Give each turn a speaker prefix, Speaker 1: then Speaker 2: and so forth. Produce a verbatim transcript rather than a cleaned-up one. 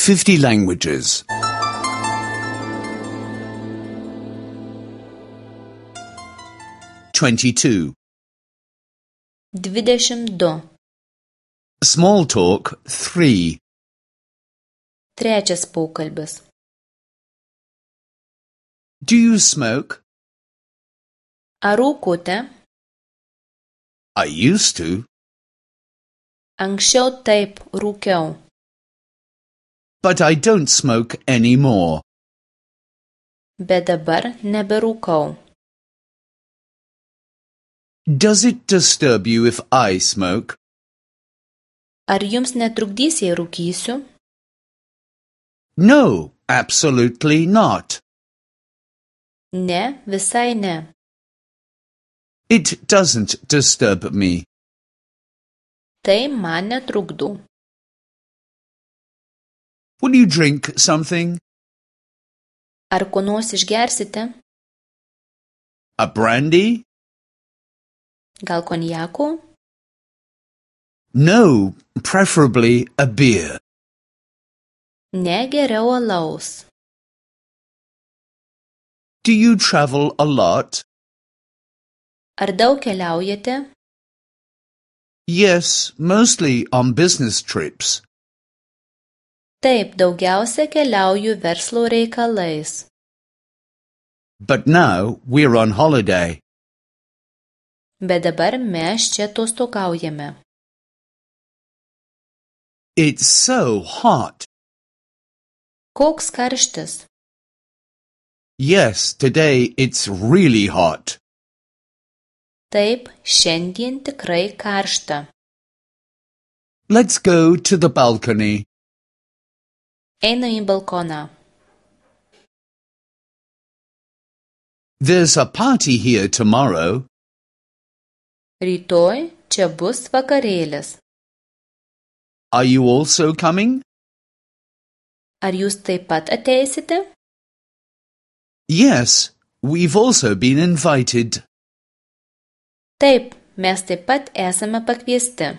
Speaker 1: fifty languages. twenty-two.
Speaker 2: Dvidešimt du.
Speaker 1: Small talk three.
Speaker 2: Trečias pokalbis.
Speaker 1: Do you smoke?
Speaker 2: Ar rūkote?
Speaker 1: I used to.
Speaker 2: Anksčiau taip rūkiau.
Speaker 1: But I don't smoke anymore.
Speaker 2: Bet dabar neberūkau.
Speaker 1: Does it disturb you if I smoke?
Speaker 2: Ar jums netrukdys, jei rūkysiu?
Speaker 1: No, absolutely not.
Speaker 2: Ne, visai ne.
Speaker 1: It doesn't disturb me.
Speaker 2: Tai man netrukdo.
Speaker 1: Will you drink something?
Speaker 2: Ar ko nors išgersite?
Speaker 1: A brandy?
Speaker 2: Gal konjako?
Speaker 1: No, preferably a beer.
Speaker 2: Ne, geriau alaus.
Speaker 1: Do you travel a lot?
Speaker 2: Ar daug keliaujate?
Speaker 1: Yes, mostly on business trips.
Speaker 2: Taip, daugiausia keliauju verslo reikalais.
Speaker 1: But now we're on holiday.
Speaker 2: Bet dabar mes čia atostogaujame.
Speaker 1: It's so hot.
Speaker 2: Koks karštis?
Speaker 1: Yes, today it's really hot.
Speaker 2: Taip, šiandien tikrai karšta.
Speaker 1: Let's go to the balcony.
Speaker 2: Einu į balkoną.
Speaker 1: There's a party here tomorrow.
Speaker 2: Rytoj čia bus vakarėlis.
Speaker 1: Are you also coming?
Speaker 2: Ar jūs taip pat ateisite?
Speaker 1: Yes, we've also been invited.
Speaker 2: Taip, mes taip pat esame pakviesti.